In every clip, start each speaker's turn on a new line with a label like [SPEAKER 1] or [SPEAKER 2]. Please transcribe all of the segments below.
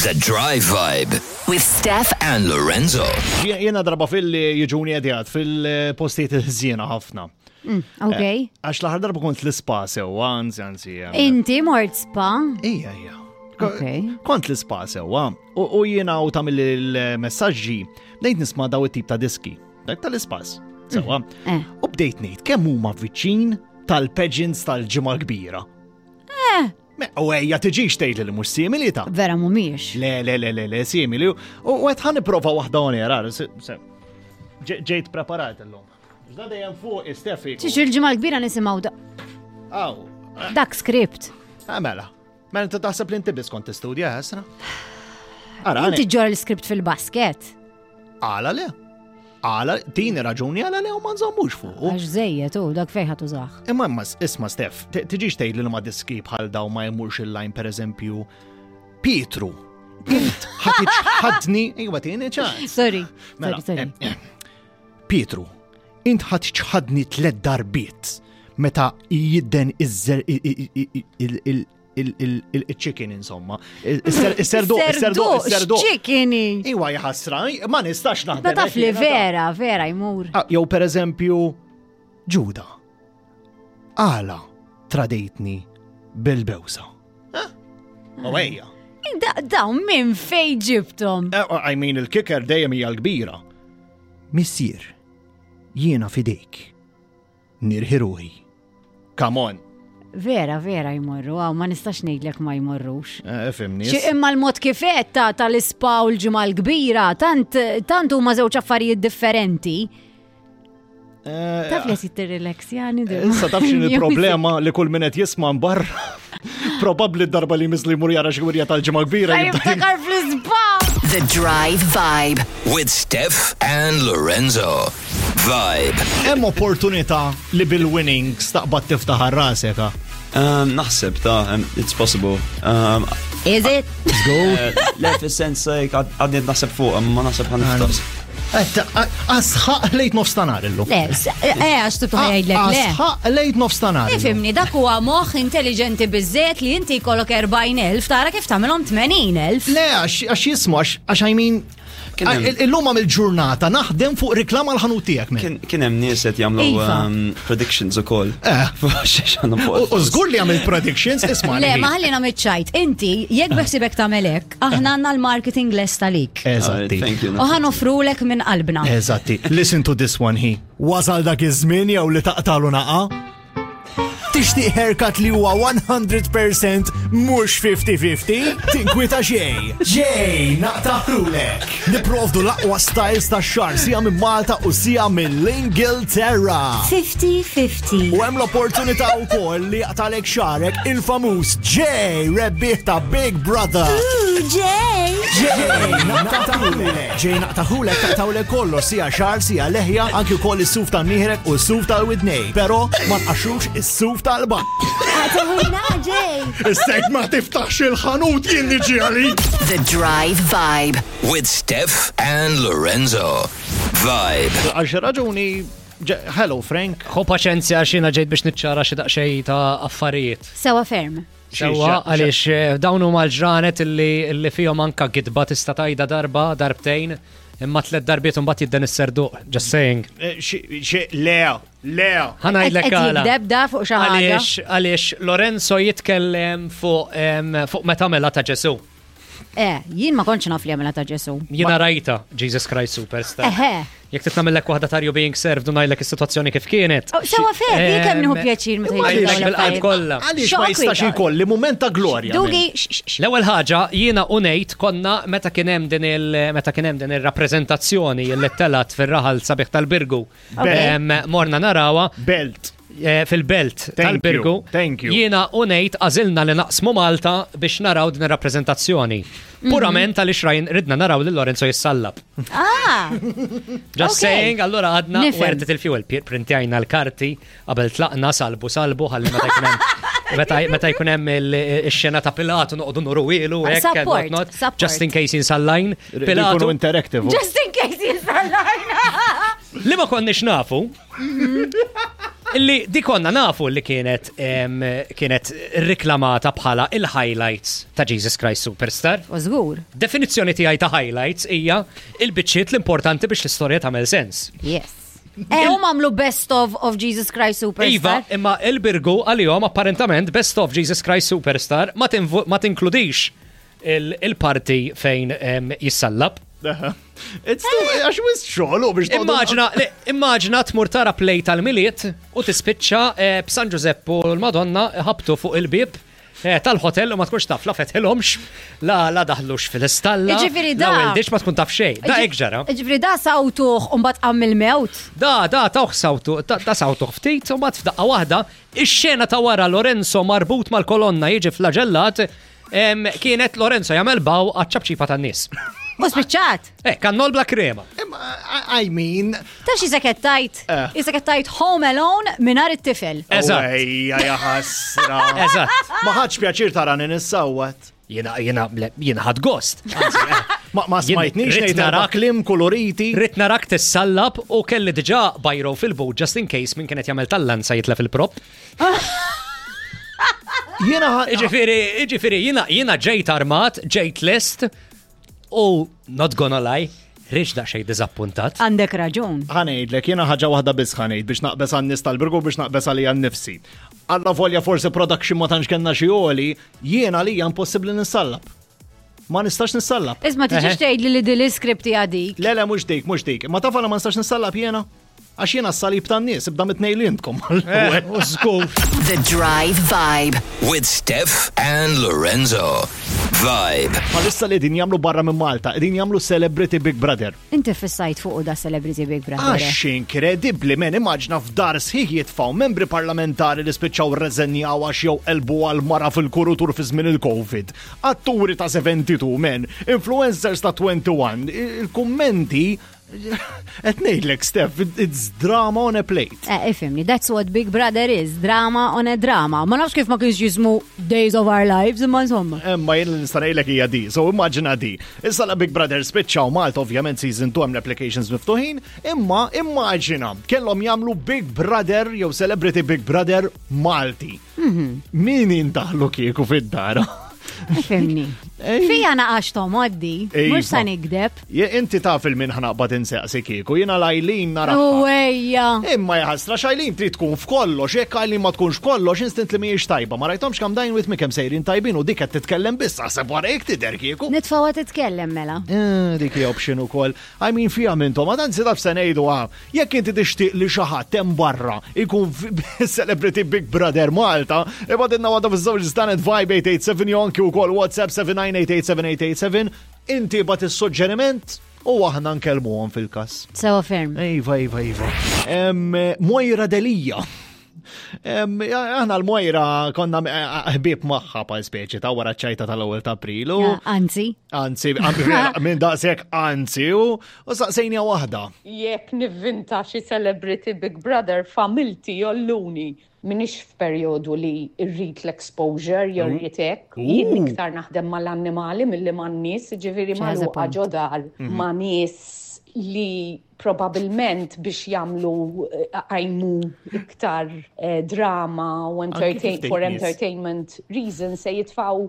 [SPEAKER 1] The Drive Vibe
[SPEAKER 2] With Steph
[SPEAKER 1] and Lorenzo.
[SPEAKER 3] Jiena darba fil-li jiġuni għedjat fil-postijiet il-ħżiena ħafna.
[SPEAKER 4] Ok.
[SPEAKER 3] Għax l-aħħar darba kont l-ispa sewwa, anzi, anzi. eh,
[SPEAKER 4] Inti mort spa?
[SPEAKER 3] Ija, ija.
[SPEAKER 4] Ok.
[SPEAKER 3] Kont l-ispa sewwa u jiena u tamil il-messagġi bdejt nisma' daw it-tip ta' diski, dak tal-ispas. Sewwa.
[SPEAKER 4] Eh.
[SPEAKER 3] U bdejt ngħid kemm huma viċin tal-pageants tal-ġimgħa kbira.
[SPEAKER 4] Eh.
[SPEAKER 3] Me, U ejja tiġix tgħid li mhux simili ta'
[SPEAKER 4] Vera mumiex.
[SPEAKER 3] Le, le, le, le, le, simili. U għed ħan niprofa waħda on air, ara, se- se- ġe- ġejt preparat illum. Ġda dejjem fuq Steffi.
[SPEAKER 4] Ċiċ il-ġimgħa l-kbira nisimgħu da-
[SPEAKER 3] Aw,
[SPEAKER 4] dak script.
[SPEAKER 3] eh, mela. Mela inti taħseb li inti biss kont tistudja, ħasra? Ara,
[SPEAKER 4] Inti ġor l-script fil-basket.
[SPEAKER 3] għala le. Għala, tini raġuni għala le u ma nżommux fuq.
[SPEAKER 4] Għax żejjed u dak fejn ħadd użah.
[SPEAKER 3] Imma imma isma Stef, tiġix tgħid li ma diski bħal daw ma jmurx il-lajn per eżempju Pietru. Int ħadni, iwa tieni ċans.
[SPEAKER 4] Sorry.
[SPEAKER 3] Mela,
[SPEAKER 4] Sorry, sorry.
[SPEAKER 3] eh, eh, Pietru, int ħad ċħadni tlet darbiet meta jidden iż-zer- i- i- i- i- il- il- il- il- il- il-chicken insomma. Is-serdu, is-serdu, is-serdu.
[SPEAKER 4] Chickeni.
[SPEAKER 3] Iwa jħassra, ma nistax naħdem.
[SPEAKER 4] Ma taf li
[SPEAKER 3] hekk jiena ta'
[SPEAKER 4] vera, vera jmur.
[SPEAKER 3] Ah, Jew per eżempju, Ġuda, għala tradejtni bil-bewsa. Eh? U ejja.
[SPEAKER 4] Da- Dawn minn fej ġibtom.
[SPEAKER 3] Eh, I mean, il-kicker dejjem hija l-kbira. Missier, jiena fidejk. Nirħi ruħi. Come on.
[SPEAKER 4] Vera, vera jmorru, għaw ma nistax ngħidlek ma jmorrux.
[SPEAKER 3] Eh, Fimni.
[SPEAKER 4] Xi imma l-mod kifet ta' tal-ispa u l-ġimgħa l-kbira, tant tant huma żewġ affarijiet differenti.
[SPEAKER 3] Eh,
[SPEAKER 4] Taf li qed tirrilaxjani
[SPEAKER 3] Issa taf x'in il-problema li kull min qed jisma' barra. Probabbli d-darba li misli jmur jara xi wirja tal-ġimgħa kbira. jibda
[SPEAKER 4] Jiftakar fl-ispa!
[SPEAKER 2] The Drive Vibe.
[SPEAKER 1] With Steph and Lorenzo. Vibe.
[SPEAKER 3] Hemm opportunità li bil-winnings taqbad tiftaħ rasek. ha?
[SPEAKER 5] Um, naħseb ta' um, it's possible. Um,
[SPEAKER 4] Is it?
[SPEAKER 5] eh, Le, fis-sens like, għad- għadni naħseb fuq, ma naħseb ħan niftaħ.
[SPEAKER 3] Asħaq lejt nofstanar illum.
[SPEAKER 4] Le, s- eh, għax tibtu ħajdlek, le.
[SPEAKER 3] Asħaq lejt nofstanar. illum.
[SPEAKER 4] Ifimni, dak huwa moħħ intelligenti biżżejjed li inti jkollok 40,000 tara kif tagħmilhom 80,000.
[SPEAKER 3] Le, għax għax jismu, għax għax I mean,
[SPEAKER 5] Kien hemm-
[SPEAKER 3] il- illum għamil ġurnata naħdem fuq riklama l-ħanut tiegħek minn.
[SPEAKER 5] Kien kien hemm nies qed jagħmlu
[SPEAKER 4] Iva.
[SPEAKER 5] um, predictions ukoll.
[SPEAKER 3] Eh.
[SPEAKER 5] Xiex għandhom fuq.
[SPEAKER 3] U żgur li għamil predictions, isma'
[SPEAKER 4] Le,
[SPEAKER 3] li.
[SPEAKER 4] ma ħallina miċ-ċajt. Inti, jekk beħsibek tagħmel hekk, aħna għandna l-marketing lest għalik.
[SPEAKER 3] Eżatti.
[SPEAKER 5] Thank you.
[SPEAKER 4] U ħanofrulek minn qalbna.
[SPEAKER 3] Eżatti. Listen to this one he. Wasal dak iż-żmien jew li taqtalu naqa? Tixtieq haircut li huwa 100% mhux 50-50? Tinkwita xejn. Ġej, naqtaħrulek. Niprovdu l-aqwa styles ta' xar sija minn Malta u sija mill-Ingilterra.
[SPEAKER 4] 50-50.
[SPEAKER 3] U hemm l-opportunità wkoll li jaqtalek xarek il-famuż J rebbieħ ta' Big Brother.
[SPEAKER 4] Ġej!
[SPEAKER 3] Ġej, naqtaħulek. Ġej naqtaħulek taqtawlek kollox sija xar, sija leħja, anki wkoll is-suf tan-nieħrek u s-suf tal-widnej. Però ma nqaxxux is-suf tal-ba.
[SPEAKER 4] Għataħuna ġej!
[SPEAKER 3] Issek ma tiftaħx il-ħanut jien niġi għalik.
[SPEAKER 2] The Drive Vibe.
[SPEAKER 1] With Steph and Lorenzo. Vibe.
[SPEAKER 3] Għax raġuni, hello Frank.
[SPEAKER 6] Ħu paċenzja xina ġejt biex niċċara xi daqsxejn ta' affarijiet.
[SPEAKER 4] Sewa ferm.
[SPEAKER 6] Sewa għaliex eh, dawn huma l-ġranet illi illi fihom anka gidba tista' tajda darba, darbtejn, imma tliet darbiet imbagħad jidden is-serduq. Just saying.
[SPEAKER 3] Le, le.
[SPEAKER 6] Ħa ngħidlek
[SPEAKER 4] Qed
[SPEAKER 6] għala.
[SPEAKER 4] jikdeb da fuq xi ħaġa.
[SPEAKER 6] Għaliex għaliex Lorenzo jitkellem fuq em, fuq meta mela ta' Ġesu.
[SPEAKER 4] Eh, jien ma kontx naf li għamela ta' Ġesu.
[SPEAKER 6] Jiena rajta Jesus Christ Superstar.
[SPEAKER 4] Eħe.
[SPEAKER 6] Jekk titnamillek waħda ta' you being served u ngħidlek is-sitwazzjoni kif kienet.
[SPEAKER 4] Oh, Sewa ferm, jien kemm nieħu
[SPEAKER 6] Em,
[SPEAKER 4] pjaċir meta jgħidu dawn
[SPEAKER 6] Ngħidlek bil-qalb
[SPEAKER 4] l-affarijiet.
[SPEAKER 6] kollha.
[SPEAKER 3] Għaliex ma jistax ikolli mument ta' glorja.
[SPEAKER 4] Dugi, x- x- x-
[SPEAKER 6] L-ewwel ħaġa jiena u ngħid konna meta kien hemm din il meta kien hemm din ir-rappreżentazzjoni li telat fir-raħal sabiħ tal-Birgu. Em, Morna narawha
[SPEAKER 3] Belt.
[SPEAKER 6] eh, fil-belt
[SPEAKER 3] Thank
[SPEAKER 6] tal-Birgu.
[SPEAKER 3] you, thank you.
[SPEAKER 6] Jiena u ngħid għażilna li naqsmu Malta biex naraw din ir-rappreżentazzjoni.
[SPEAKER 4] Mhm.
[SPEAKER 6] Purament għaliex rajn ridna naraw lil Lorenzo jissallab.
[SPEAKER 4] Ah!
[SPEAKER 6] Just
[SPEAKER 4] Ok.
[SPEAKER 6] saying, allora għadna
[SPEAKER 4] Nifhem.
[SPEAKER 6] werdet il-fuel, printjajna l-karti, qabel tlaqna salbu salbu, ħalli meta jkun hemm meta meta jkun hemm il- ix-xena ta' Pilatu noqogħdu nuru ilu hekk and
[SPEAKER 4] Support,
[SPEAKER 6] whatnot,
[SPEAKER 4] support.
[SPEAKER 6] Just in case insallajn.
[SPEAKER 3] Pilatu.
[SPEAKER 6] Pilatu
[SPEAKER 3] interactive.
[SPEAKER 4] Just in case jisallajna.
[SPEAKER 6] li ma konniex nafu.
[SPEAKER 4] Mhm.
[SPEAKER 6] Illi di konna nafu li kienet kienet riklamata bħala il-highlights ta' Jesus Christ Superstar.
[SPEAKER 4] U żgur.
[SPEAKER 6] Definizzjoni tiegħi ta' highlights hija il-biċċiet l-importanti biex l-istorja tagħmel sens.
[SPEAKER 4] Yes. Eh, huma għamlu best of Jesus Christ Superstar.
[SPEAKER 6] Iva, imma il-Birgu għalihom apparentament best of Jesus Christ Superstar ma tinkludix il-parti fejn jissallab.
[SPEAKER 3] It's too, għax wis xogħol u biex
[SPEAKER 6] Immaġina, immaġina tmur tara play tal-Milied u tispiċċa eh, b'San Ġużeppu u l-Madonna ħabtu fuq il-bib eh, tal-hotel u ma tkunx taf la fetħilhomx, la la daħlux fil-istalla.
[SPEAKER 4] Jiġifieri
[SPEAKER 6] La
[SPEAKER 4] da-
[SPEAKER 6] weldix ma tkun taf xejn. Da hekk ġara.
[SPEAKER 4] Ġifri da sawtuh u mbagħad qam il-mewt.
[SPEAKER 6] Da, da, tawh sawtu, da, da sawtuh ftit, u mbagħad f'daqqa waħda, ix-xena ta' wara Lorenzo marbut mal-kolonna jiġi flagellat, kienet Lorenzo jagħmel baw għaċ-ċapċipa tan-nies.
[SPEAKER 4] U spiċċat.
[SPEAKER 6] Eh, kannol bla krema.
[SPEAKER 3] I mean.
[SPEAKER 4] Ta' xi seket tajt?
[SPEAKER 3] Eh.
[SPEAKER 4] Isek tajt Home Alone mingħajr it-tifel.
[SPEAKER 6] Eżatt.
[SPEAKER 3] Ejja, ja ħasra.
[SPEAKER 6] Eżatt.
[SPEAKER 3] Ma ħadx pjaċir tara nissawat.
[SPEAKER 6] Jiena, jiena, le, jiena ħad gost. Anzi, eh,
[SPEAKER 3] Ma ma
[SPEAKER 6] jien
[SPEAKER 3] smajtnix
[SPEAKER 6] rrid
[SPEAKER 3] ngħid erba'
[SPEAKER 6] narak-
[SPEAKER 3] kliem koloriti.
[SPEAKER 6] Rrid narak tissallab u kelli diġà bajro fil-but just in case min kienet jagħmel tal-lanza jitlef il-prop.
[SPEAKER 3] Jiena
[SPEAKER 6] Iġifieri, iġifieri, jiena jiena ġejt armat, ġejt lest u not gonna lie, rridx daqsxejn diżappuntat.
[SPEAKER 4] Għandek raġun.
[SPEAKER 3] Ħanejdlek, jiena ħaġa waħda biss ħanejd biex naqbes għan-nies tal-Birgu biex naqbes għalija nnifsi. Alla volja forsi production ma tantx kellna xi għoli, jiena għalija impossibbli nissallab. Ma nistax nissallab.
[SPEAKER 4] Isma tiġix tgħidli li din l-iskript hija dik.
[SPEAKER 3] Le, le, mhux dik, mhux dik. Ma taf għala ma nistax nissallab jiena? Għax jiena s-salib tan-nies, ibda mitnej li intkom.
[SPEAKER 6] Eh, u żgur.
[SPEAKER 2] The Drive Vibe.
[SPEAKER 1] With Steph and Lorenzo. Vibe.
[SPEAKER 3] Palissa li din jagħmlu barra minn Malta, din jagħmlu Celebrity Big Brother.
[SPEAKER 4] Inti fissajt fuq da Celebrity Big Brother.
[SPEAKER 3] Għax inkredibbli men immaġna f'dar sħiħ jitfaw membri parlamentari li spiċċaw rreżenjaw għax jew elbu għal mara fil-kurutur fi żmien il-Covid. Atturi ta' 72 men, influencers ta' 21, il-kummenti qed ngħidlek Steph, it's drama on a plate.
[SPEAKER 4] Eh, ifimni, that's what Big Brother is, drama on a drama. Ma nafx kif ma kienx jismu Days of Our Lives, imma insomma.
[SPEAKER 3] Imma jien li nista' ngħidlek hija di, so immaġina di. Issa la Big Brother spiċċaw Malta ovvjament season 2 hemm l-applications miftuħin, imma immaġina kellhom jagħmlu Big Brother jew Celebrity Big Brother Malti. Min intaħlu kieku fid-dar?
[SPEAKER 4] Ifimni. Fija naqax tomoddi,
[SPEAKER 3] Iva.
[SPEAKER 4] mux sa nikdeb.
[SPEAKER 3] Je inti taf il-min ħanaqbad insaqsi kieku, jiena lajlin nara.
[SPEAKER 4] Uwejja.
[SPEAKER 3] Imma jaħasra xajlin trid tkun f'kollox, jekk għajlin ma tkunx f'kollox, instant li mhijiex tajba. Ma rajtomx kam dajn with me kemm sejrin tajbin u dik qed titkellem biss, aħseb wara jekk tidher kieku.
[SPEAKER 4] Nitfawa titkellem mela.
[SPEAKER 3] Eh, Dik hija option ukoll. I mean fija mintom, ma dan taf se ngħidu ah, jekk inti tixtieq li xi ħadd hemm barra ikun Celebrity Big Brother Malta, ibadilna waħda fiż-żewġ Stanet Vibe 887 jew anki wkoll WhatsApp 79887887, inti bat is-suġġeriment u aħna nkellmuhom fil-każ.
[SPEAKER 4] Sewa ferm.
[SPEAKER 3] Iva, iva, iva. Moira Delija. Aħna l-Moira konna eh, ħbieb magħha pal speċi ta' wara ċajta tal-ewwel ta' April u
[SPEAKER 4] Anzi.
[SPEAKER 3] Anzi, minn daqshekk anzi u saqsejnija waħda.
[SPEAKER 7] Jekk nivvinta xi celebrity Big Brother familti jolluni. Minix f'perjodu li rrid l-exposure jew rrid hekk. Jien iktar naħdem mal-annimali milli man-nies, ġifieri
[SPEAKER 4] She has a
[SPEAKER 7] magħluqa
[SPEAKER 4] point.
[SPEAKER 7] ġo dar ma' nies li probabilment biex jagħmlu għajmu iktar eh, drama u entertain,
[SPEAKER 3] ftit
[SPEAKER 7] for
[SPEAKER 3] nies.
[SPEAKER 7] entertainment reasons se jitfaw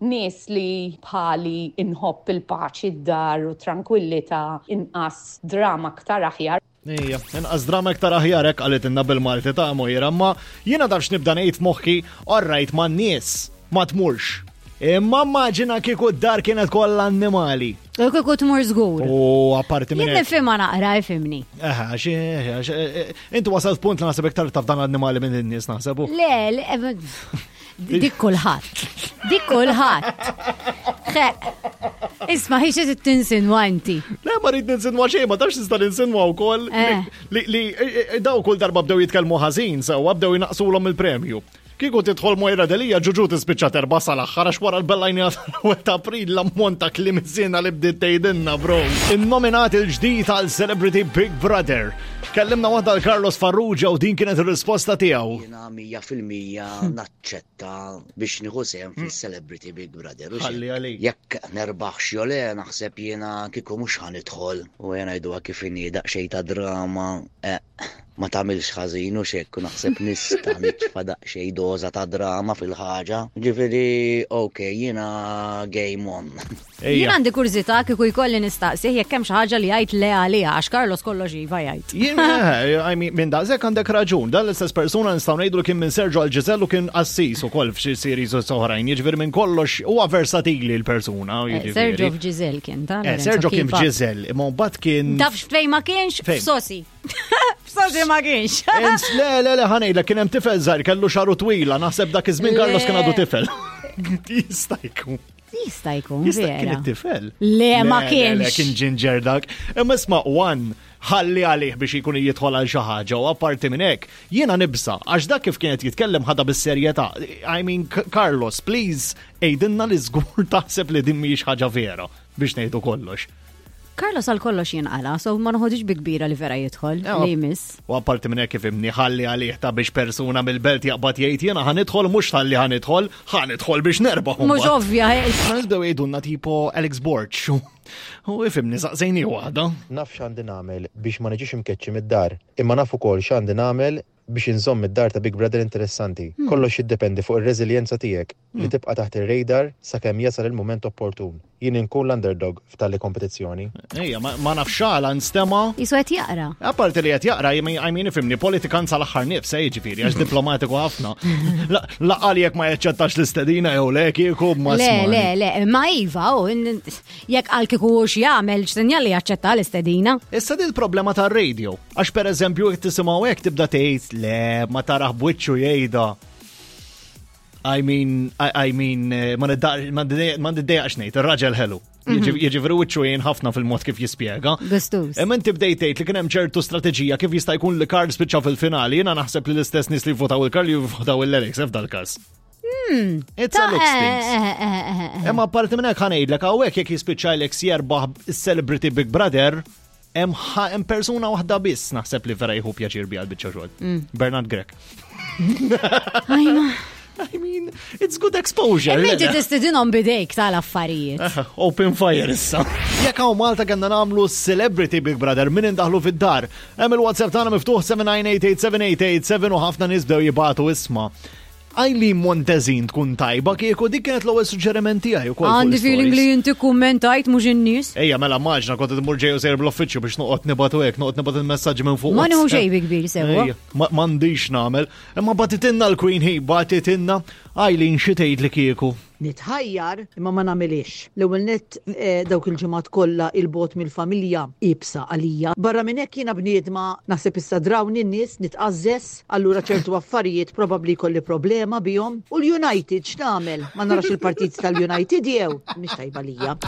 [SPEAKER 7] nies li bħali inħobb il-paċi d-dar u tranquillità inqas drama aktar aħjar.
[SPEAKER 3] Ejja, inqas drama iktar aħjar hekk qalitilna bil-Malti ta' Moira, imma jiena taf x'nibda ngħid f'moħħi, orrajt man-nies, ma tmurx. Imma immaġina kieku d-dar kienet kollha annimali.
[SPEAKER 4] U kieku tmur żgur.
[SPEAKER 3] U apparti minn
[SPEAKER 4] Jien
[SPEAKER 3] hekk.
[SPEAKER 4] nifhimha naqra, ifhimni.
[SPEAKER 3] Eħe, għax, għax, eh, inti wasalt punt li naħseb iktar taf dan l-annimali minn in-nies naħseb. u.
[SPEAKER 4] Le, le, eh, dik kulħadd. Dik kulħadd. Xe, Isma' hi xi tinsinwa inti.
[SPEAKER 3] Le, ma rrid ninsinwa xejn, ma tafx tista' ninsinwa wkoll
[SPEAKER 4] Eh.
[SPEAKER 3] li li eh, eh, daw kull darba bdew jitkellmu ħażin sewwa bdew jinaqsulhom il-premju. Kieku tidħol Moira Delija ġuġu tispiċċa terba sal-aħħar għax wara l-bellajnija tal-ewwel ta' April l-ammont ta' kliem iżjena li bdiet tgħidilna bro. Innominat il-ġdid għal Celebrity Big Brother. Kellimna waħda l Carlos Farrugia u din kienet ir-risposta tiegħu.
[SPEAKER 8] Jiena 100% naċċetta biex nieħu sehem fil-Celebrity Big Brother. u
[SPEAKER 3] Ħalli
[SPEAKER 8] xejn.
[SPEAKER 3] għalik.
[SPEAKER 8] Jekk nerbaħx jew le naħseb jiena kieku mhux ħanidħol u jena jgħiduha kif inhi daqsxejn ta' drama. Eh, Ma tagħmilx ħażin u x'hekk u naħseb nista' nitfa' daqsxejn doża ta' drama fil-ħaġa. Ġifieri ok, jiena game on.
[SPEAKER 4] Jien għandi kurżità kieku jkolli nistaqsih jekk hemm xi ħaġa li jgħid le għaliha għax Carlos kollox iva jgħid.
[SPEAKER 3] Jien, eh, I mean, minn daqshekk għandek raġun. Dan l-istess persuna nistgħu ngħidu li kien minn Sergio għal Giselle u kien qassis ukoll f'xi series oħrajn. Jiġifieri minn kollox huwa versatili l-persuna.
[SPEAKER 4] Eh,
[SPEAKER 3] jiġifieri.
[SPEAKER 4] Sergio f'Giselle kien ta'
[SPEAKER 3] Eh,
[SPEAKER 4] Lorenzo,
[SPEAKER 3] Sergio kien
[SPEAKER 4] keep up.
[SPEAKER 3] f'Giselle, imma mbagħad kien.
[SPEAKER 4] Tafx fejn ma kienx?
[SPEAKER 3] Fejn?
[SPEAKER 4] F'Sosi. F'Sosi ma kienx.
[SPEAKER 3] Ens, le, le, le, ħanejla, kien hemm tifel żgħir kellu xaru twila, naħseb dak iż-żmien Carlos kien għadu
[SPEAKER 4] Le.
[SPEAKER 3] tifel. Jista' jkun.
[SPEAKER 4] Jista' jkun
[SPEAKER 3] Jista' kien
[SPEAKER 4] vera.
[SPEAKER 3] it-tifel.
[SPEAKER 4] Le, ma
[SPEAKER 3] Le,
[SPEAKER 4] kienx.
[SPEAKER 3] kien ġinġer dak. Imma isma' one ħalli għalih biex jkun jidħol għal xi ħaġa u apparti minn hekk, jiena nibsa għax dak kif kienet jitkellem ħadha bis-serjetà. I mean, Carlos, please, għidilna li żgur taħseb li din mhijiex ħaġa vera biex ngħidu kollox.
[SPEAKER 4] Carlos għal kollox jinqala, so ma noħodix bi kbira li vera jidħol, li jmiss.
[SPEAKER 3] U apparti minn hekk ifimni ħalli għalih ta' biex persuna mill-belt jaqbad jgħid jiena ħa nidħol mhux ħalli ħa nidħol, ħa nidħol biex nerbaħ.
[SPEAKER 4] Mhux ovvja, eh.
[SPEAKER 3] Ħa nibdew jgħidulna tipo Alex Borg. U ifimni saqsejni waħda.
[SPEAKER 9] Naf x'għandi nagħmel biex ma niġix imkeċċi mid-dar, imma naf ukoll x'għandi nagħmel biex inżomm id-dar ta' Big Brother interessanti. Kollox jiddependi fuq ir-reżiljenza tiegħek li tibqa' taħt ir-radar sakemm jasal il-mument opportun. Jien inkun l-underdog f'tali kompetizzjoni.
[SPEAKER 3] Ejja, ma nafx għala nstema'.
[SPEAKER 4] Qisu qed jaqra.
[SPEAKER 3] Apparti li qed jaqra, I mean, ifhimni, politikant sal-aħħar nifs, jiġifieri, għax diplomatiku ħafna. Laqal jekk ma jaċċettax l-istedina jew le kieku ma
[SPEAKER 4] Le,
[SPEAKER 3] smani.
[SPEAKER 4] le, le, ma iva, u jekk qal kieku hux jagħmel x'sinjal li jaċċetta l-istedina.
[SPEAKER 3] Issa din il-problema tar-radio, għax pereżempju jekk tisimgħu hekk tibda tgħid le ma taraħ b'wiċċu jgħidha. I mean, I mean, ma niddejjaqx ngħid, ir-raġel ħelu. Jiġifieri wiċċu jgħin ħafna fil-mod kif jispjega.
[SPEAKER 4] Gustus.
[SPEAKER 3] Imma inti bdejt tgħid li kien hemm ċertu strateġija kif jista' jkun li Karl spiċċa fil-finali, jiena naħseb li l-istess nies li votaw il-Karl jivvotaw il-Alex f'dal każ. It's a looks things. Imma apparti minn hekk ħa ngħidlek hawnhekk jekk jispiċċa Alex jerbaħ is-Celebrity Big Brother, hemm persuna waħda biss naħseb li vera jieħu pjaċir biha l-biċċa xogħol. Bernard Grech.
[SPEAKER 4] Ajma.
[SPEAKER 3] I mean, it's good exposure.
[SPEAKER 4] Imma inti tistidinhom bidejk tal-affarijiet.
[SPEAKER 3] Open fire issa. Jekk hawn Malta kellna nagħmlu Celebrity Big Brother min indaħlu fid-dar. Hemm il-WhatsApp tagħna miftuħ 79887887 u ħafna nies bdew jibagħtu isma'. Eileen Montezin tkun tajba kieku dik kienet l-ewwel suġġeriment tiegħi ukoll. fuq
[SPEAKER 4] Għandi feeling
[SPEAKER 3] l-stories.
[SPEAKER 4] li inti kummentajt mhux in-nies.
[SPEAKER 3] Ejja, mela maġna kont imur ġej u sejr bl-uffiċċju biex noqgħod nibatu hekk, noqgħod nibgħat il-messaġġi minn fuq.
[SPEAKER 4] Ma nieħu xejn bi kbir sewwa.
[SPEAKER 3] Ejja, m'għandix nagħmel. Imma batitinna l-Queen hi, batitinna Eileen xi tgħid li kieku.
[SPEAKER 10] Nitħajjar imma ma nagħmilix. L-ewwel nett dawk il-ġimgħat kollha 'il bogħod mill-familja iebsa għalija. Barra minn hekk jiena bniedma naħseb issa drawni n-nies nitqażżeż, allura ċertu affarijiet probabbli jkolli problema bihom. U l-United x'nagħmel? Ma narax il-partit tal-United jew? Mhix tajba lija.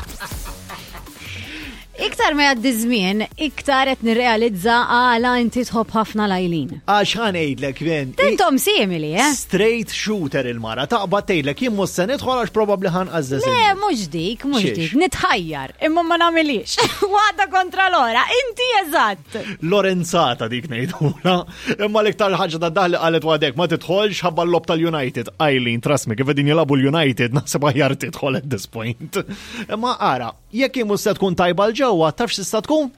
[SPEAKER 4] Iktar ma jgħaddi żmien, iktar qed nirrealizza għala inti tħobb ħafna l-Eileen.
[SPEAKER 3] Għax ħa ngħidlek, ben.
[SPEAKER 4] Intom simili, eh?
[SPEAKER 3] Straight shooter il-mara, taqbad tgħidlek jien mhux se nidħol għax probabbli ħa nqażżeż
[SPEAKER 4] Le,
[SPEAKER 3] in-nies.
[SPEAKER 4] mhux dik, mhux
[SPEAKER 3] Xiex?
[SPEAKER 4] dik, nitħajjar, imma ma nagħmilix. Waħda kontra l-ora, inti eżatt.
[SPEAKER 3] Lorenzata dik ngħidula. Imma l-iktar ħaġa ta' daħli qalet wadek ma tidħolx ħabba l-lob tal-United. Eileen, trust me, kif qegħdin jilagħbu l-United, naħseb aħjar tidħol at this point. Imma ara, jekk hi mhux se tkun tajba l ġewwa, taf x'tista' tkun?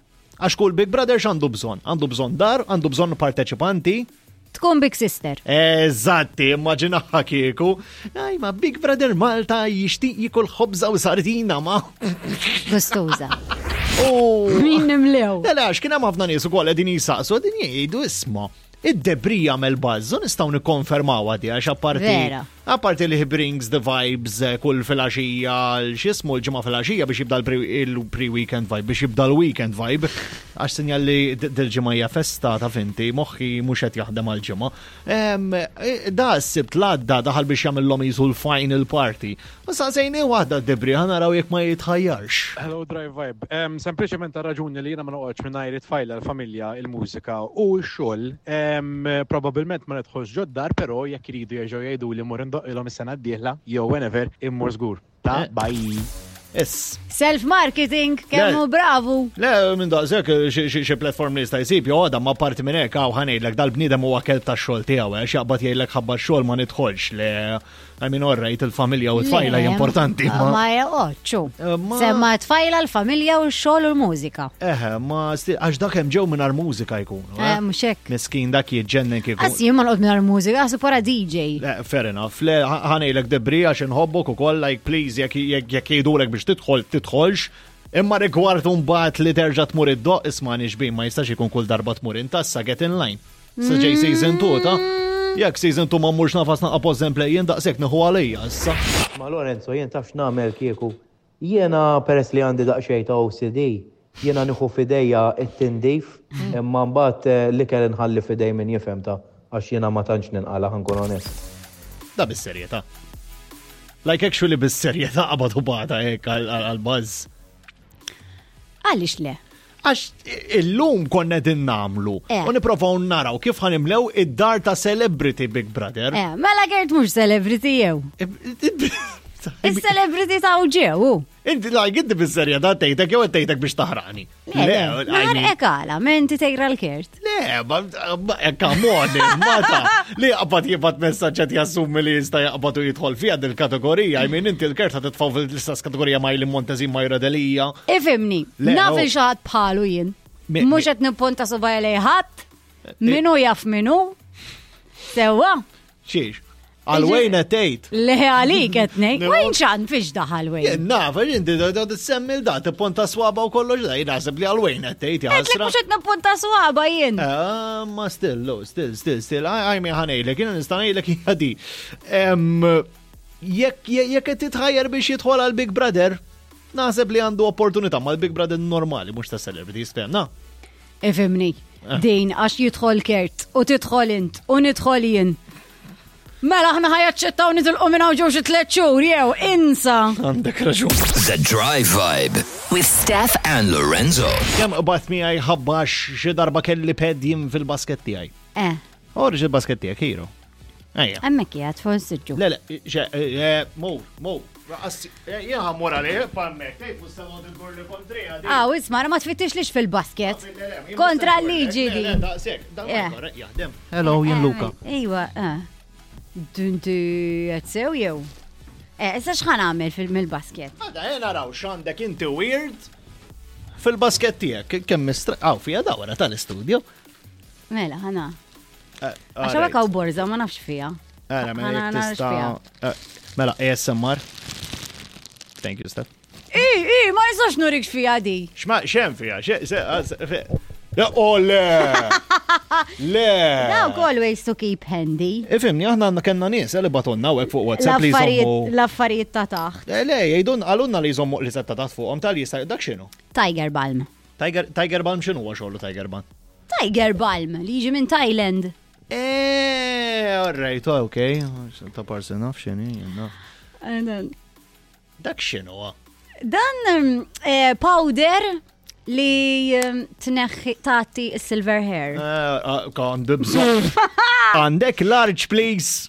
[SPEAKER 3] Għax kull Big Brother x'għandu bżonn? Għandu bżonn dar, għandu bżonn parteċipanti.
[SPEAKER 4] Tkun Big Sister.
[SPEAKER 3] Eżatti, immaġinaha kieku. Aj, ma Big Brother Malta jixtieq jikol ħobża u sardina ma.
[SPEAKER 4] Gustuża.
[SPEAKER 3] Oh.
[SPEAKER 4] Min nimlew.
[SPEAKER 3] Le, le, għax kien hemm ħafna nies ukoll qegħdin jisaqsu, qegħdin jgħidu isma' id-debri jagħmel bażżu nistgħu nikkonfermaw għadi għax apparti
[SPEAKER 4] Vera.
[SPEAKER 3] apparti li he brings the vibes kull filgħaxija x'ismu l-ġimgħa filgħaxija biex jibda il-pre-weekend vibe, biex jibda l-weekend vibe, għax sinjal li dil-ġimgħa hija festa ta' finti, moħħi mhux qed jaħdem għall-ġimgħa. Da s-sibt l-għadda daħal biex jagħmilhom jisu l-final party. U saqsejni waħda d-debri ħa naraw jekk ma jitħajjarx.
[SPEAKER 11] Hello Drive Vibe. Sempliċement ta' raġuni li jiena ma noqgħodx mingħajr it-tfajla, l-familja, il-mużika u x-xogħol. Probabbilment ma nidħolx ġod-dar, però jekk iridu jerġgħu jgħidu li mmur indoqqilhom is-sena d-dieħla jew whenever immur żgur. Ta' bye.
[SPEAKER 3] Is.
[SPEAKER 4] Self-marketing, kemm hu bravu.
[SPEAKER 3] Le, minn daqshekk xi platform li jista' jsib jew għadha ma parti minn hekk hawn ħanejdlek dal-bniedem huwa kelb tax-xogħol tiegħu għax jaqbad jgħidlek ħabba x-xogħol ma nidħolx le I mean, all right, il-familja u t-tfajla importanti.
[SPEAKER 4] Ma joqgħodx. Eh, Semma t-tfajla, l-familja u x-xogħol u l-mużika.
[SPEAKER 3] Eħe, ma għax dak hemm ġew mingħajr mużika jkunu.
[SPEAKER 4] Eh, eh? Mhux hekk.
[SPEAKER 3] Miskin dak jiġġennen kieku.
[SPEAKER 4] Għas jien ma noqgħod mingħajr mużika, għasu para DJ.
[SPEAKER 3] Fair enough. Le, ħanejlek debri għax inħobbok ukoll, like please, jekk jgħidulek biex tidħol, tidħolx. Imma rigward mbagħad li terġa' tmur id-doq isma' nixbin ma jistax ikun kull darba tmur intassa get in line. Sa ġej season 2 ta' jekk season 2 ma mmurx nafas naqa' pause and play jien daqshekk nieħu għalija issa.
[SPEAKER 9] Ma Lorenzo jien taf x'nagħmel kieku? Jiena peress li għandi daqsxejn ta' OCD, jiena nieħu f'idejja t-tindif imma mbagħad l-ikel inħalli f'idej min jifhem ta' għax jiena ma tantx ninqala' ħa nkun onest.
[SPEAKER 3] Da bis-serjetà. Like actually bis-serjetà qabad u bata hekk għal-buzz.
[SPEAKER 4] Għaliex le?
[SPEAKER 3] Għax illum konna din namlu eh. u niprofaw naraw kif ħanimlew id-dar ta' celebrity Big Brother.
[SPEAKER 4] Eh, mela Gert mhux celebrity jew. Is-celebrity ta' ġew.
[SPEAKER 3] Inti like inti bis-serjetà tgħidek jew tgħidek biex taħrani.
[SPEAKER 4] Le, naħarqek għala, menti tejra l-kert.
[SPEAKER 3] Le, ma come on, mata. Li jaqbad jibgħat messaġġ qed jassumi li jista' jaqbad u jidħol fiha dil-kategorija. I mean inti l-kert ħa titfgħu fil-istess kategorija ma' Eileen Montezin ma' Delija.
[SPEAKER 4] Ifimni, naf il xaħat bħalu jien. Mhux qed nipponta subgħaj lejn ħadd, minu jaf minu. Sewwa.
[SPEAKER 3] Xiex? Għal Wayne qed tgħid.
[SPEAKER 4] Le għalik qed ngħid. Wayne xan fiex daħal Wayne?
[SPEAKER 3] Jien naf, inti da semmi l-da tipponta swaba u kollox da jien naħseb li għal Wayne qed tgħid
[SPEAKER 4] jaħasra. Mhux qed nipponta swaba jien.
[SPEAKER 3] Ah, ma still, lo, still, still, still, għaj mi ħanejlek, jiena nista' ngħidlek hija di. Jekk jekk qed titħajjar biex jidħol għal Big Brother, naħseb li għandu opportunità mal-Big Brother normali mhux ta' celebrities, fehmna?
[SPEAKER 4] Ifimni, eh. din għax jidħol Kert u tidħol int u nidħol jien. Mela aħna ħajaċċettaw nitilqu minn hawn ġew xi tliet xhur jew insa.
[SPEAKER 3] Għandek raġun.
[SPEAKER 1] The Drive Vibe
[SPEAKER 2] With Steph
[SPEAKER 1] and Lorenzo.
[SPEAKER 3] Kemm qbad miegħi ħabbax xi darba kelli ped jien fil-basket tiegħi.
[SPEAKER 4] Eh.
[SPEAKER 3] Oħroġ il-basket tiegħek, hero. Ejja.
[SPEAKER 4] Hemmhekk qiegħed fuq is-siġġu.
[SPEAKER 3] Le, le, xe, eh, mur, mur. Jien ħammur għalih, pammek, tgħid mhux se noqgħod indur li kontrija.
[SPEAKER 4] Aw, isma' ma tfittix lix fil-basket. Kontra l-liġi di.
[SPEAKER 3] Daqshekk, dan jaħdem. Hello, jien Luka.
[SPEAKER 4] Iwa, eh. Dunti qed sew jew? Eh, issa x'ħan għamel fil-basket?
[SPEAKER 3] Għada, eh, naraw x'għandek inti weird fil-basket tiegħek. Kemm mistra, aw fija dawra tal-istudio.
[SPEAKER 4] Mela, ħana. Eh, Għax hawnhekk hawn borża ma nafx fiha.
[SPEAKER 3] Ara, mela jekk tista'. Eh, mela ASMR. Thank you, Steph.
[SPEAKER 4] I, i, ma nistax nurik x'fiha di.
[SPEAKER 3] X'ma xem fiha, xe, Oh, le! Le!
[SPEAKER 4] Dawk always to keep handy.
[SPEAKER 3] Ifimni, aħna għandna kellna nies eh, li batonna u fuq WhatsApp li jżommu.
[SPEAKER 4] L-affarijiet ta' taħt.
[SPEAKER 3] Eh, le, jgħidun għalunna li jżommu li ta' taħt fuqhom tal jista' dak x'inhu?
[SPEAKER 4] Tiger Balm.
[SPEAKER 3] Tiger, Tiger Balm x'inhu huwa xogħlu Tiger Balm?
[SPEAKER 4] Tiger Balm li jiġi minn Thailand.
[SPEAKER 3] Eh, all right, ok. Ta' parsi naf x'inhi, naf. Dak x'inhu?
[SPEAKER 4] Dan eh, powder li tneħħi tagħti silver hair.
[SPEAKER 3] Eh, ah, għandu bżonn. Għandek large, please.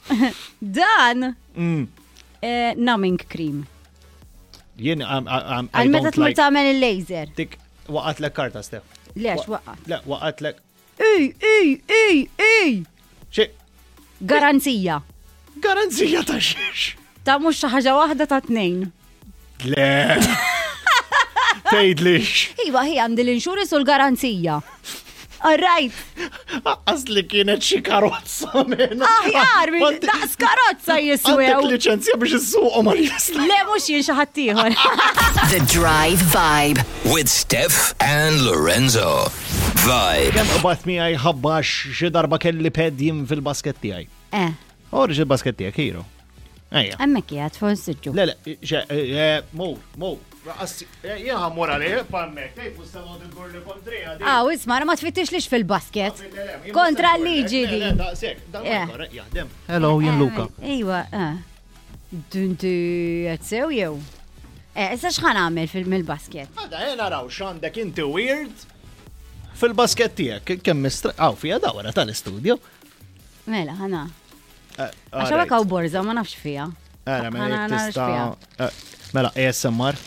[SPEAKER 4] Dan mm. eh, numbing cream.
[SPEAKER 3] Jien
[SPEAKER 4] Għal meta tmur tagħmel il-laser.
[SPEAKER 3] Dik waqatlek karta, Stef.
[SPEAKER 4] Lex waqat.
[SPEAKER 3] Le, waqatlek.
[SPEAKER 4] Ej, ej, ej, ej!
[SPEAKER 3] Xi?
[SPEAKER 4] Garanzija.
[SPEAKER 3] Garanzija ta' xiex?
[SPEAKER 4] Ta' mhux xi ħaġa waħda ta' tnejn.
[SPEAKER 3] Le. Tgħidlix.
[SPEAKER 4] Iva, hi għandi l-insurance u l-garanzija. All right.
[SPEAKER 3] Aqqas li kienet xi karozza minn.
[SPEAKER 4] Aħjar, daqs karozza jiswew.
[SPEAKER 3] Għandek liċenzja biex issuqhom għal jista.
[SPEAKER 4] Le mhux jien xi ħadd ieħor.
[SPEAKER 2] The Drive Vibe.
[SPEAKER 1] With Steph and Lorenzo. Vibe.
[SPEAKER 3] Kemm qbad miegħi ħabbax xi darba kelli ped jien fil-basket tiegħi.
[SPEAKER 4] Eh.
[SPEAKER 3] Oħroġ il-basket tiegħek, hero. Ejja.
[SPEAKER 4] Hemmhekk qiegħed fuq is-siġġu.
[SPEAKER 3] Le, le, xe, eh, mur, mur. Jien ħammur għalih, pammek, tgħid mhux se noqgħod indur li kontrija di.
[SPEAKER 4] Aw, isma' ma tfittix lix fil-basket. Kontra l-liġi di.
[SPEAKER 3] Daqshekk, dan jaħdem. Hello, jien Luka.
[SPEAKER 4] Ejwa, eh. Dunti qed sew jew? Eh, issa x'ħan għamel fil-basket?
[SPEAKER 3] Għada, eh, naraw x'għandek inti weird fil-basket tiegħek. Kemm mistra, aw fija dawra tal-istudio.
[SPEAKER 4] Mela, ħana. Eh, Għax hawnhekk hawn borża ma nafx fiha.
[SPEAKER 3] Ara, mela jekk tista' eh, Mela, ASMR.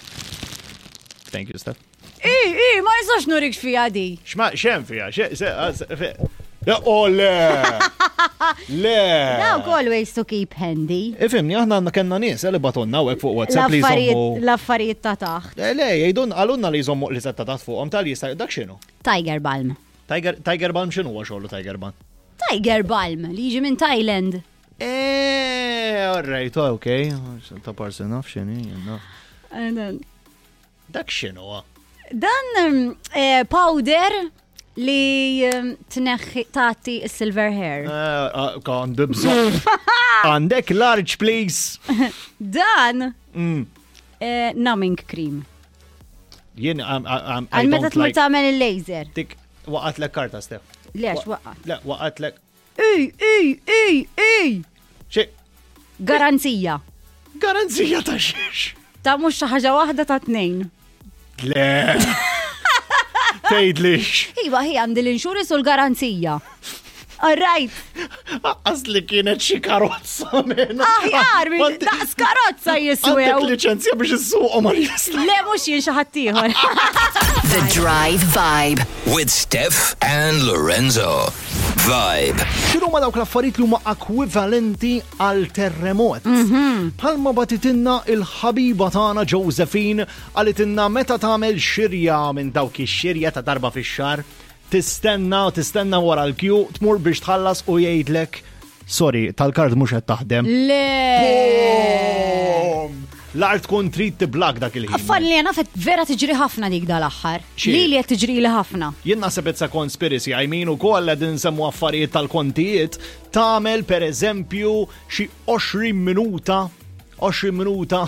[SPEAKER 3] Thank you, Steph.
[SPEAKER 4] I, i, ma nistax nurik x'fija di.
[SPEAKER 3] X'ma xem fija, xe, se, se, fe. Le, oh, le! Le!
[SPEAKER 4] Dawk always to keep handy.
[SPEAKER 3] Ifimni, aħna għandna kellna nies eh, li batonna u fuq WhatsApp li
[SPEAKER 4] L-affarijiet
[SPEAKER 3] jżommu.
[SPEAKER 4] l-affarijiet ta' taħt.
[SPEAKER 3] Eh, Le, jgħidun għalunna li jżommu li ta' taħt fuqhom tal jista' dak x'inhu?
[SPEAKER 4] Tiger Balm.
[SPEAKER 3] Tiger, Tiger Balm x'inhu huwa xogħlu Tiger Balm?
[SPEAKER 4] Tiger Balm li jiġi minn Thailand.
[SPEAKER 3] Eh, all right, ok. Ta' parsi naf x'inhi, jien naf. Dak x'inhu? ah?
[SPEAKER 4] Dan eh, powder li tneħħi tagħti silver hair.
[SPEAKER 3] Eh, ah, Għandu bżonn. Għandek large, please.
[SPEAKER 4] Dan numbing cream.
[SPEAKER 3] Jien, I
[SPEAKER 4] Għal meta
[SPEAKER 3] don't
[SPEAKER 4] tmur
[SPEAKER 3] like.
[SPEAKER 4] tagħmel il-laser.
[SPEAKER 3] Dik, waqatlek karta, Steph.
[SPEAKER 4] Lex waqgħat.
[SPEAKER 3] Le, waqatlek.
[SPEAKER 4] Ej, ej, ej, ej!
[SPEAKER 3] Xi,
[SPEAKER 4] Garanzija.
[SPEAKER 3] garanzija ta' xiex.
[SPEAKER 4] Ta' mhux xi ħaġa waħda ta' tnejn.
[SPEAKER 3] Le. Tgħidlix.
[SPEAKER 4] Iva, hi għandi l-insurance u l-garanzija. All right.
[SPEAKER 3] Aqqas li kienet xi karozza minn.
[SPEAKER 4] Aħjar, daqs karozza jiswew.
[SPEAKER 3] Għandek liċenzja biex issuqhom għal jista'.
[SPEAKER 4] Le, mhux jien xi ħadd ieħor.
[SPEAKER 2] The Drive Vibe.
[SPEAKER 1] With Steph and Lorenzo. Vibe.
[SPEAKER 3] X'inhu ma dawk l-affarijiet li huma ekwivalenti għal terremot? Bħalma batitinna il-ħabiba tagħna Josephine qalitinna meta tagħmel xirja minn dawk ix-xirja ta' darba fix-xahar, tistenna u tistenna wara l-kju, tmur biex tħallas u jgħidlek sorry, tal-kard mhux qed taħdem.
[SPEAKER 4] Le.
[SPEAKER 3] Boom! L-art tkun trid tiblak dak il-ħin.
[SPEAKER 4] Affan li jena fet vera tiġri ħafna dik dal-aħħar.
[SPEAKER 3] Xi?
[SPEAKER 4] Li li qed tiġri li ħafna.
[SPEAKER 3] Jien naħseb it's a conspiracy, I mean ukoll qegħdin nsemmu affarijiet tal-kontijiet, tagħmel per eżempju xi 20 minuta, 20 minuta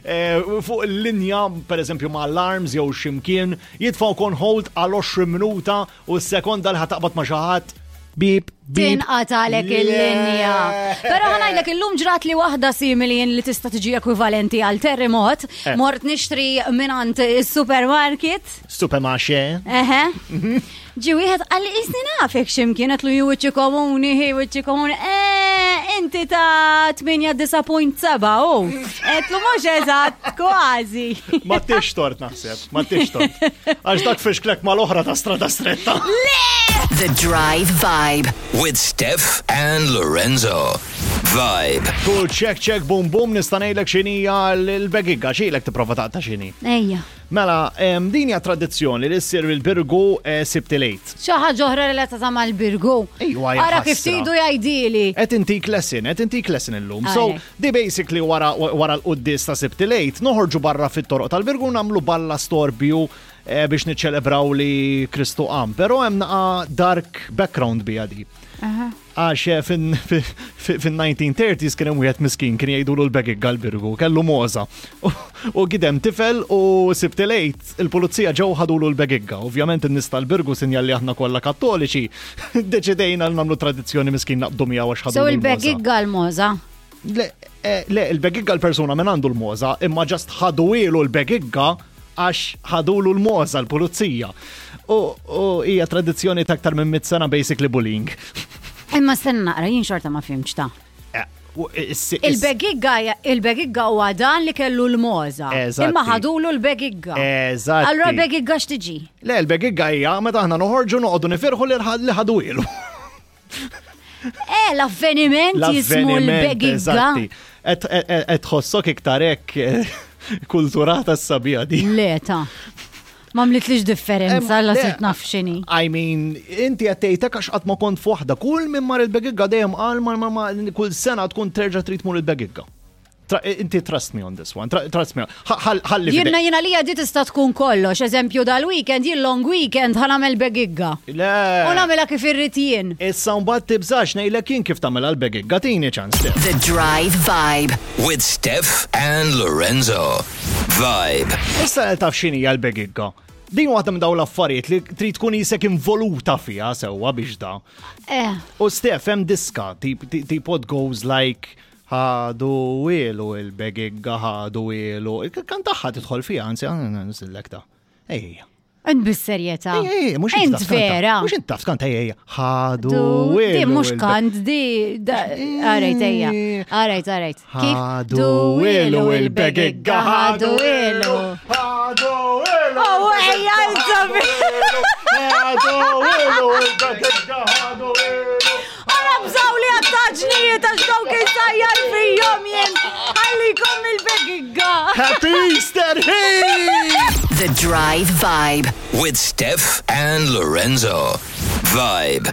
[SPEAKER 3] eh, fuq il-linja, per eżempju ma' alarms jew ximkien, jitfaw kon hold għal 20 minuta u s-sekonda li ħataqbad ma' xi ħadd bip, bip.
[SPEAKER 4] Tinqatalek il-linja. Però ħanajdlek illum ġrat li waħda simili jien li tista' tiġi ekwivalenti għal terremot.
[SPEAKER 3] Eh.
[SPEAKER 4] Mort nixtri minant is-supermarket.
[SPEAKER 3] Supermarché.
[SPEAKER 4] Eħe. Ġi wieħed qalli isni nafek x'imkien qed lu wiċċi komuni, hi wiċċi komuni. Eh, inti ta' 8.7 u. Qed lu mhux eżatt kważi.
[SPEAKER 3] Ma tix tort naħseb, ma tix tort. Għax dak fixklek mal-oħra ta' strada stretta.
[SPEAKER 2] The Drive Vibe.
[SPEAKER 1] With Steph and Lorenzo. Vibe.
[SPEAKER 3] Kull check check boom boom nista' ngħidlek x'inhija l-begigga x'ilek tipprova taqta' x'inhi.
[SPEAKER 4] Ejja.
[SPEAKER 3] Mela, din hija tradizzjoni li ssir il-Birgu Sibt il-Għid.
[SPEAKER 4] Xi ħaġa oħra relatata mal-Birgu.
[SPEAKER 3] Ejwa, hija
[SPEAKER 4] Ara kif
[SPEAKER 3] ħasra.
[SPEAKER 4] tridu jgħidili.
[SPEAKER 3] Qed intik lesson, qed intik lesson illum. So,
[SPEAKER 4] Għalek.
[SPEAKER 3] di basically wara wara l-quddis ta' Sibt il-Għid, noħorġu barra fit-toroq tal-Birgu nagħmlu balla storbju biex niċċelebraw li Kristu qam. Però hemm naqa dark background bija di. Għax fin-1930s kien hemm wieħed miskin kien jgħidulu l-begig għal-Birgu, kellu moza. U gidem tifel u Sibt il-Għid il-pulizija ġew ħadulu l-begigga. Ovvjament in-nies tal-Birgu sinjal li aħna kollha kattoliċi, deċidejna li nagħmlu tradizzjoni miskin naqbdu miegħu għax
[SPEAKER 4] So
[SPEAKER 3] ħadulu l-moza.
[SPEAKER 4] il-begigga l-moza.
[SPEAKER 3] Le, le, il-begigga l-persuna minn għandu l-moza, imma ġast ħaduilu l-begigga għax ħadulu l-moza l-pulizija. U hija tradizzjoni ta' aktar minn mit sena basically bullying.
[SPEAKER 4] Imma stenna naqra, jien xorta ma fimx ta'
[SPEAKER 3] U
[SPEAKER 4] Il-begigga il-begigga huwa dan li kellu l-moza.
[SPEAKER 3] Eżatti.
[SPEAKER 4] Imma ħadulu l-begigga.
[SPEAKER 3] Eżatti.
[SPEAKER 4] Allura l-begigga x'tiġi?
[SPEAKER 3] Le, il-begigga hija meta aħna noħorġu noqogħdu nifirħu li li ħadu ilu.
[SPEAKER 4] Eh, l-avveniment jismu l-begigga.
[SPEAKER 3] eżatti. Et tħossok iktar hekk kulturata s-sabija di.
[SPEAKER 4] Le ta' ma mlitlix differenza la
[SPEAKER 3] Le,
[SPEAKER 4] sirt naf x'inhi.
[SPEAKER 3] I mean, inti għattejtek għax qatt ma kont f'waħda. Kull minn mar il-begigga dejjem qal ma ma kull sena tkun terġa' trid tmur il-begigga. Inti trust me on this one. Trust me. Ħalli
[SPEAKER 4] Jiena jiena li di tista' tkun kollox, eżempju dal-weekend, jien long weekend ħa nagħmel begigga.
[SPEAKER 3] Le.
[SPEAKER 4] U nagħmilha kif irrid jien.
[SPEAKER 3] Issa mbagħad tibżax ngħidlek jien kif tagħmel għall-begigga tini ċans.
[SPEAKER 2] The Drive Vibe.
[SPEAKER 1] With Steph and Lorenzo. Vibe.
[SPEAKER 3] Issa taf x'inhi l-begigga. Din waħda minn dawn l-affarijiet li trid tkun isek involuta fiha sewwa biex da.
[SPEAKER 4] Eh,
[SPEAKER 3] U Steph hemm diska tip tip what goes like ħadu ilu il-begigga ħadu ilu. Kan taħħa tidħol fiha, anzi nsillek ta. Ejja.
[SPEAKER 4] Int bis-serjetà.
[SPEAKER 3] Ejja, mhux int
[SPEAKER 4] Int
[SPEAKER 3] taf kanta.
[SPEAKER 4] vera.
[SPEAKER 3] Mhux int taf kanta ejja. Ħadu
[SPEAKER 4] Du,
[SPEAKER 3] ilu.
[SPEAKER 4] di mhux
[SPEAKER 3] il-be-
[SPEAKER 4] kant, di, arajt, ejja, arajt, arajt. Kif?
[SPEAKER 3] Ħadu ilu il-begigga,
[SPEAKER 4] ħadu ilu.
[SPEAKER 3] Ħadu ilu.
[SPEAKER 4] Oh, ejja, insabi. Għara bżaw li għattaġnijiet għax dawk insajjar fijom jien. Għallikom il-begigga.
[SPEAKER 3] Happy Easter, hey!
[SPEAKER 2] The Drive Vibe.
[SPEAKER 1] With Steph and Lorenzo. Vibe.